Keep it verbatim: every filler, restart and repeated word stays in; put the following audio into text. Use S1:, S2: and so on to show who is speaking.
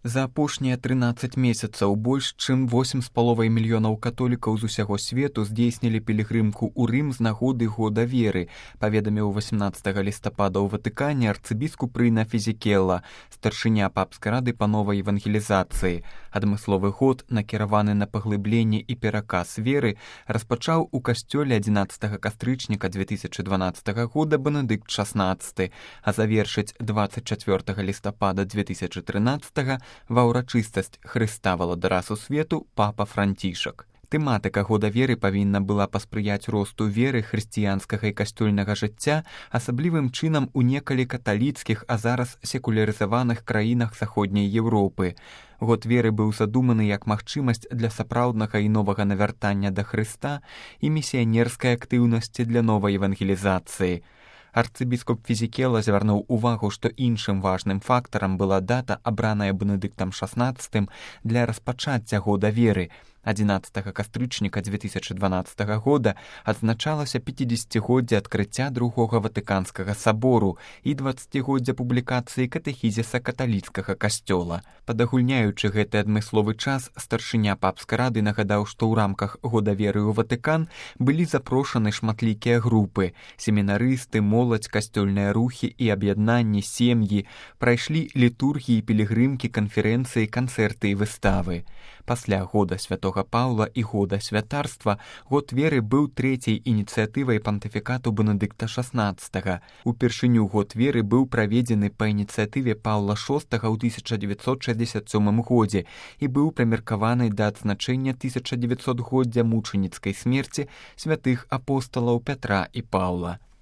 S1: За апошнія трынаццаць месяцаў больш чым восем з паловай мільёнаў католікаў з усяго свету здзейснілі пілігрымку ў Рым з нагоды года веры, паведаміў васямнаццатага лістапада ў Ватыкане арцыбіскуп Рына Фізікелла, старшыня папскай рады па новай евангелізацыі. Адмысловы год, накіраваны на паглыбленне і пераказ веры, распачаў у касцёле адзінаццатага кастрычніка дзве тысячы дванаццатага года Бенедыкт шаснаццаты, а завершыць дваццаць чацвёртага лістапада дзве тысячы трынаццатага ва ўрачыстасць Хрыста валадара сусвету папа Францішак. Тэматыка года веры павінна была паспрыяць росту веры хрысціянскага і касцёльнага жыцця, асаблівым чынам у некалі каталіцкіх, а зараз секулярызаваных краінах заходняй Еўропы. Год веры быў задуманы як магчымасць для сапраўднага і новага навяртання да Хрыста і місіянерскай актыўнасці для новай евангелізацыі. Арцыбіскуп Фізікелла звярнуў увагу, што іншым важным фактарам была дата, абраная Бенедыктам шаснаццатым для распачацця года веры. адзінаццатага кастрычніка дзве тысячы дванаццатага года адзначалася пяцідзесяцігоддзе адкрыцця другога Ватыканскага сабору і дваццацігоддзя публікацыі катэхізіса каталіцкага касцёла. Падагульняючы гэты адмысловы час, старшыня папскай рады нагадаў, што ў рамках года веры ў Ватыкан былі запрошаны шматлікія групы. Семінарысты, моладзь, касцёльныя рухі і аб'яднанні, сем'і, прайшлі літургіі, пілігрымкі, канферэнцыі, канцэрты і выставы. Пасля года святога Паўла і года святарства год веры быў трэцяй ініцыятывай пантыфікату Бенедыкта шаснаццатага. Упершыню год веры быў праведзены па ініцыятыве Паўла шостага ў тысяча дзевяцьсот шэсцьдзесят сёмым годзе і быў прымеркаваны да адзначэння тысяча дзевяцьсотгоддзя мучаніцкай смерці святых апосталаў Пятра і Паўла.